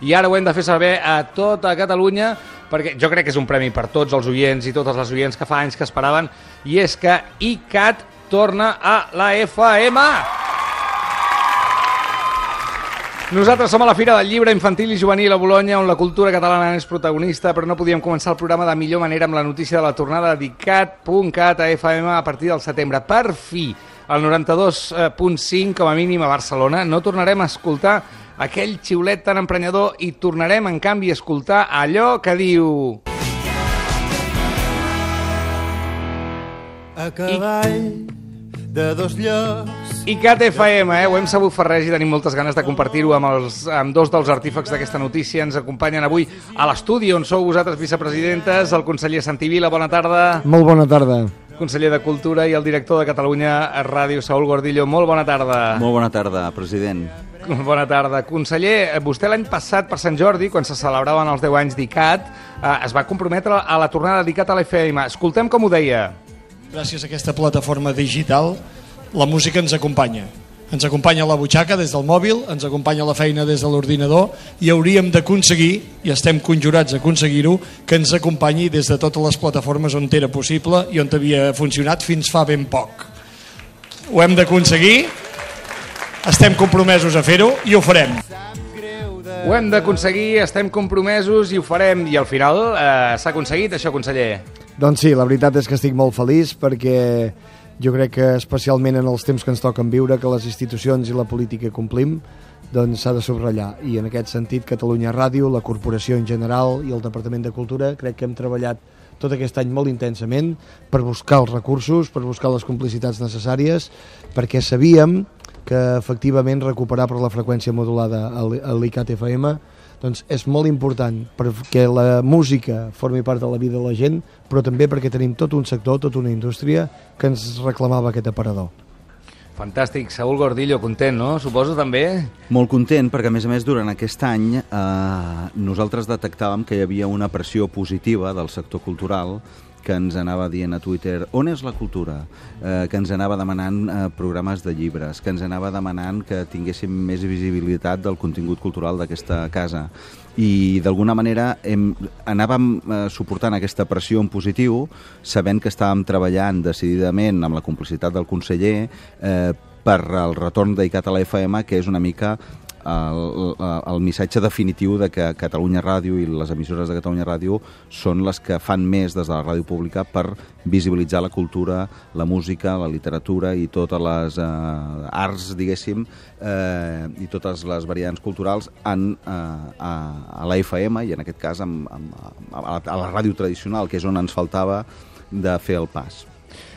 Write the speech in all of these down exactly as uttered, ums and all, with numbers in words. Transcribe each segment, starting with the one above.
i ara ho hem de fer saber a tota Catalunya, perquè jo crec que és un premi per tots els oients i totes les oients que fa anys que esperaven, i és que ICAT torna a la F M. Nosaltres som a la Fira del Llibre Infantil i Juvenil a Bolonya, on la cultura catalana és protagonista, però no podíem començar el programa de millor manera amb la notícia de la tornada d'ICAT punt cat a F M a partir del setembre. Per fi, al noranta-dos punt cinc, com a mínim a Barcelona, no tornarem a escoltar aquell xiulet tan emprenyador i tornarem, en canvi, a escoltar allò que diu... A cavall de dos llocs. ICAT F M, eh? Ho hem sabut fer res i tenim moltes ganes de compartir-ho amb, els, amb dos dels artífecs d'aquesta notícia. Ens acompanyen avui a l'estudi, on sou vosaltres vicepresidentes, el conseller Santi Vila, bona tarda. Molt bona tarda. Conseller de Cultura, i el director de Catalunya Ràdio, Saúl Gordillo, molt bona tarda. Molt bona tarda, president. Bona tarda. Conseller, vostè l'any passat per Sant Jordi, quan se celebraven els deu anys d'ICAT, eh, es va comprometre a la tornada d'ICAT a la F M. Escoltem com ho deia. Gràcies a aquesta plataforma digital, la música ens acompanya. Ens acompanya a la butxaca des del mòbil, ens acompanya a la feina des de l'ordinador, i hauríem d'aconseguir, i estem conjurats a aconseguir-ho, que ens acompanyi des de totes les plataformes on era possible i on havia funcionat fins fa ben poc. Ho hem d'aconseguir, estem compromesos a fer-ho i ho farem. Ho hem d'aconseguir, estem compromesos i ho farem. I al final eh, s'ha aconseguit això, conseller? Doncs sí, la veritat és que estic molt feliç perquè jo crec que especialment en els temps que ens toquen viure, que les institucions i la política complim, doncs s'ha de subratllar. I en aquest sentit, Catalunya Ràdio, la corporació en general i el Departament de Cultura, crec que hem treballat tot aquest any molt intensament per buscar els recursos, per buscar les complicitats necessàries, perquè sabíem que efectivament recuperar per la freqüència modulada a l'ICAT F M doncs és molt important perquè la música formi part de la vida de la gent, però també perquè tenim tot un sector, tota una indústria que ens reclamava aquest aparador. Fantàstic. Saúl Gordillo, content, no? Suposo també? Molt content, perquè a més a més durant aquest any eh, nosaltres detectàvem que hi havia una pressió positiva del sector cultural que ens anava dient a Twitter on és la cultura, eh, que ens anava demanant eh, programes de llibres, que ens anava demanant que tinguéssim més visibilitat del contingut cultural d'aquesta casa. I d'alguna manera hem, anàvem eh, suportant aquesta pressió en positiu, sabent que estàvem treballant decididament amb la complicitat del conseller eh, per al retorn d'ICAT a la F M, que és una mica El, el missatge definitiu de que Catalunya Ràdio i les emissores de Catalunya Ràdio són les que fan més des de la ràdio pública per visibilitzar la cultura, la música, la literatura i totes les eh, arts, diguéssim, eh, i totes les variants culturals en, eh, a, a la F M i en aquest cas amb, amb, a, la, a la ràdio tradicional, que és on ens faltava de fer el pas.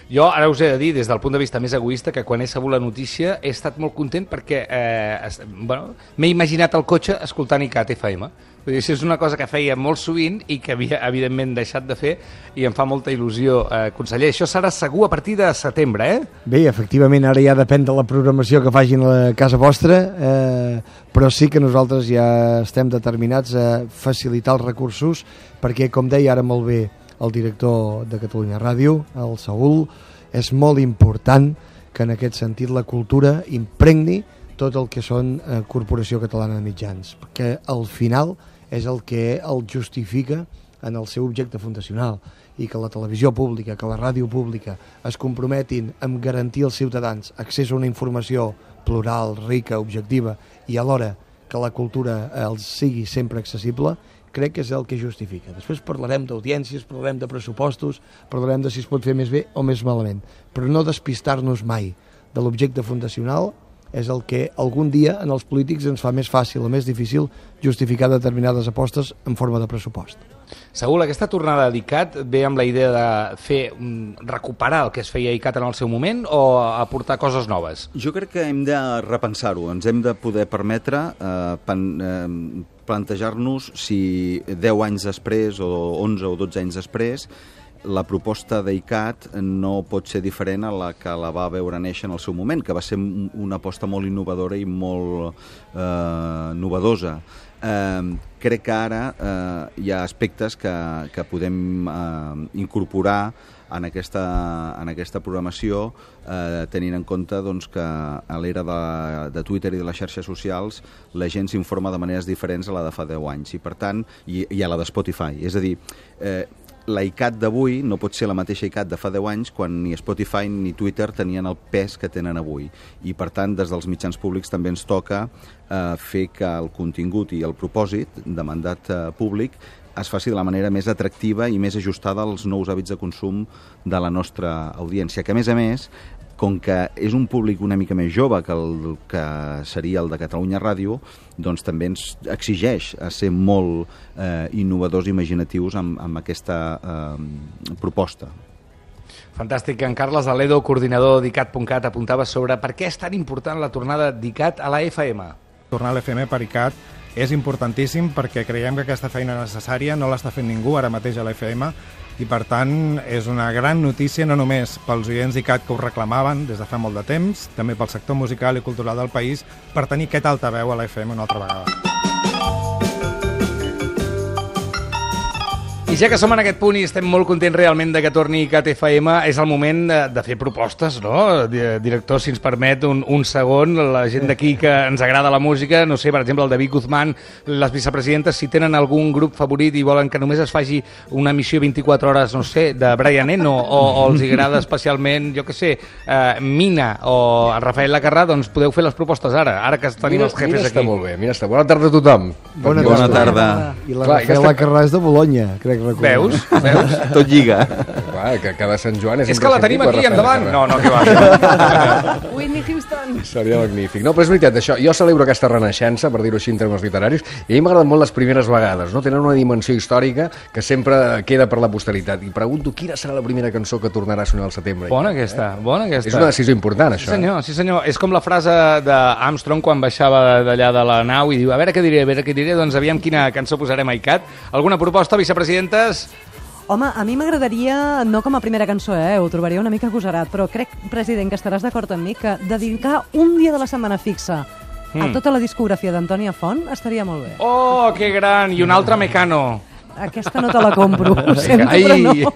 Jo ara us he de dir, des del punt de vista més egoista, que quan he sabut la notícia he estat molt content perquè eh, bueno, m'he imaginat el cotxe escoltant ICAT F M. Vull dir, és una cosa que feia molt sovint i que havia, evidentment, deixat de fer, i em fa molta il·lusió. Eh, conseller, això serà segur a partir de setembre, eh? Bé, efectivament, ara ja depèn de la programació que facin a la casa vostra, eh, però sí que nosaltres ja estem determinats a facilitar els recursos perquè, com deia ara molt bé el director de Catalunya Ràdio, el Saúl, és molt important que en aquest sentit la cultura impregni tot el que són eh, Corporació Catalana de Mitjans, perquè al final és el que el justifica en el seu objecte fundacional, i que la televisió pública, que la ràdio pública es comprometin amb garantir als ciutadans accés a una informació plural, rica, objectiva, i alhora que la cultura els sigui sempre accessible, crec que és el que justifica. Després parlarem d'audiències, parlarem de pressupostos, parlarem de si es pot fer més bé o més malament, però no despistar-nos mai de l'objecte fundacional és el que algun dia en els polítics ens fa més fàcil o més difícil justificar determinades apostes en forma de pressupost. Saúl, aquesta tornada d'ICAT ve amb la idea de fer recuperar el que es feia a ICAT en el seu moment o aportar coses noves? Jo crec que hem de repensar-ho, ens hem de poder permetre eh, pen, eh, plantejar-nos si deu anys després o onze o dotze anys després la proposta d'ICAT no pot ser diferent a la que la va veure néixer en el seu moment, que va ser una aposta molt innovadora i molt eh, novedosa. eh, crec que ara eh, hi ha aspectes que, que podem eh, incorporar en aquesta, en aquesta programació, eh, tenint en compte doncs, que a l'era de, de Twitter i de les xarxes socials la gent s'informa de maneres diferents a la de fa deu anys, i per tant, i, i a la de Spotify. És a dir, eh, la I C A T d'avui no pot ser la mateixa I C A T de fa deu anys quan ni Spotify ni Twitter tenien el pes que tenen avui. I per tant, des dels mitjans públics també ens toca eh, fer que el contingut i el propòsit de mandat eh, públic es faci de la manera més atractiva i més ajustada als nous hàbits de consum de la nostra audiència, que a més a més, com que és un públic una mica més jove que el que seria el de Catalunya Ràdio, doncs també ens exigeix a ser molt eh, innovadors i imaginatius amb, amb aquesta eh, proposta. Fantàstic. En Carles Aledo, coordinador d'I C A T punt cat, apuntava sobre per què és tan important la tornada d'I C A T a la F M. Tornar a l'F M per I C A T és importantíssim perquè creiem que aquesta feina necessària no l'està fent ningú ara mateix a l'F M, i per tant és una gran notícia no només pels oients d'I C A T que ho reclamaven des de fa molt de temps, també pel sector musical i cultural del país, per tenir aquest altaveu a l'F M una altra vegada. I ja que som en aquest punt i estem molt contents realment de que torni I C A T F M, és el moment de, de fer propostes, no? Director, si ens permet un, un segon, la gent d'aquí que ens agrada la música, no sé, per exemple, el David Guzmán, les vicepresidentes, si tenen algun grup favorit i volen que només es faci una emissió vint-i-quatre hores, no sé, de Brian Eno, o, o els agrada especialment, jo què sé, eh, Mina o Rafael Lacarrà, doncs podeu fer les propostes ara, ara que tenim mira, els jefes mira aquí. Està molt bé, mira, està. Bona tarda a tothom. Bona, Bona tarda. I la Rafael Lacarrà és de Bologna, crec recordar. Veus? Veus? Tot lliga. Clar, que cada Sant Joan és És que la tenim aquí, endavant. No, no, que va. Whitney Houston. Seria magnífic. No, però és veritat, això, jo celebro aquesta renaixença, per dir-ho així en termes literaris, i a mi m'agraden molt les primeres vegades, no? Tenen una dimensió històrica que sempre queda per la posteritat. I pregunto quina serà la primera cançó que tornarà a sonar al setembre. Bona aquesta, bona aquesta. És una decisió important, Sí això. senyor, sí senyor. És com la frase d'Armstrong quan baixava d'allà de la nau i diu, a veure què diré, a veure què diré, doncs aviam quina cançó posarem a I C A T. Alguna proposta, vicepresidentes? Home, a mi m'agradaria, no com a primera cançó, eh, ho trobaria una mica agosarat, però crec, president, que estaràs d'acord amb mi que dedicar un dia de la setmana fixa a Mm. tota la discografia d'Antònia Font estaria molt bé. Oh, que gran! I un altre Mecano. Aquesta no te la compro, ho sento, Ai, però no.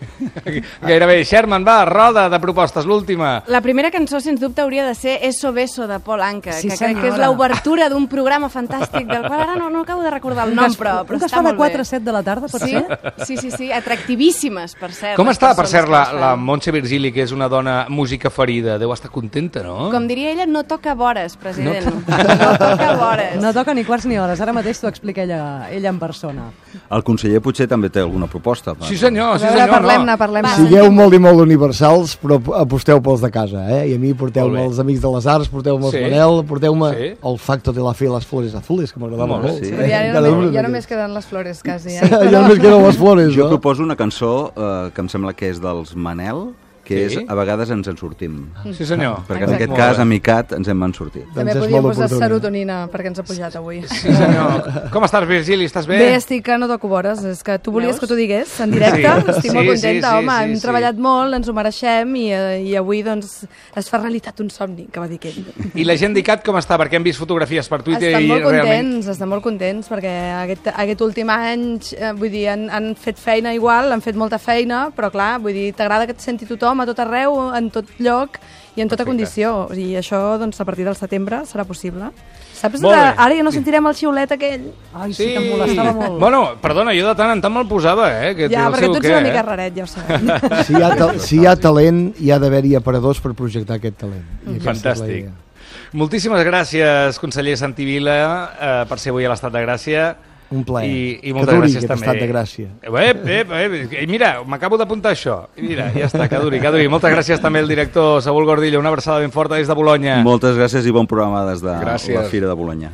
gairebé. Sherman, va, roda de propostes, l'última. La primera cançó, sens dubte, hauria de ser Eso Beso, de Paul Anka, Sí, que crec que és senyora. l'obertura d'un programa fantàstic, del qual ara no, no acabo de recordar el Un nom, que es- però, un però que es està fa de molt quatre bé. a set de la tarda, pot Sí, ser? sí, sí, sí, atractivíssimes, per cert. Com les està, per persones cert, que la, les fan. la Montse Virgili, que és una dona música ferida? Deu estar contenta, no? Com diria ella, no toca vores, president. No, no toca vores. No toca ni quarts ni hores, ara mateix t'ho explica ella, ella en persona. El conseller potser també té alguna proposta. Per... Sí senyor, sí A veure, senyor. parlem-ne, no. parlem-ne. Sigueu molt i molt universals, però aposteu pels de casa, eh? I a mi porteu-me Molt bé. els Amics de les Arts, porteu-me Sí. els Manel, porteu-me Sí. el Facto de la Fe i les Flores Azules, que m'agradava Molt bé, molt. sí. eh? Però ja, Cada només, una ja d'aquestes. només queden les flores, quasi. Eh? Ja només queden les flores, Jo no? proposo una cançó eh, que em sembla que és dels Manel, que Sí? és A vegades ens en sortim. Sí senyor. Perquè en Exacte. aquest Molt cas, bé. amb I C A T, ens hem en sortit. També Doncs és podíem molt posar oportuna. serotonina, perquè ens ha pujat avui. Sí senyor. Com estàs, Virgili? Estàs bé? Bé, estic que no toco vores. És que tu volies Veus? que t'ho digués en directe. Sí. Estic Sí, molt sí, contenta, sí, home. sí, Hem sí. treballat molt, ens ho mereixem i, eh, i avui doncs, es fa realitat un somni, que va dir aquell. I la gent d'I C A T com està? Perquè hem vist fotografies per Twitter Estan i molt contents, realment... estan molt contents perquè aquest, aquest últim any, eh, vull dir, han, han fet feina igual, han fet molta feina, però clar, vull dir, t'agrada que et senti tothom a tot arreu, en tot lloc i en tota Perfecte. condició. I això, doncs, a partir del setembre serà possible. Saps? Molt bé. Ara ja no sentirem el xiulet aquell. Ai, sí, que em molestava molt. Bueno, perdona, jo de tant en tant me'l posava, eh? Que té Ja, el perquè seu tu ets què, una eh? mica raret, ja ho sabem. Si hi, ha ta- si hi ha talent, hi ha d'haver-hi aparadors per projectar aquest talent. I aquesta és la Fantàstic. idea. Moltíssimes gràcies, conseller Santi Vila, eh, per ser avui a l'Estat de Gràcia. Un plaer. I, i Que moltes duri gràcies aquest també. estat de gràcia. Ep, ep, ep. I mira, m'acabo d'apuntar això. I mira, ja està, que duri, que duri. Moltes gràcies també al director Saúl Gordillo. Una abraçada ben forta des de Bologna. Moltes gràcies i bon programa des de Gràcies. la Fira de Bologna.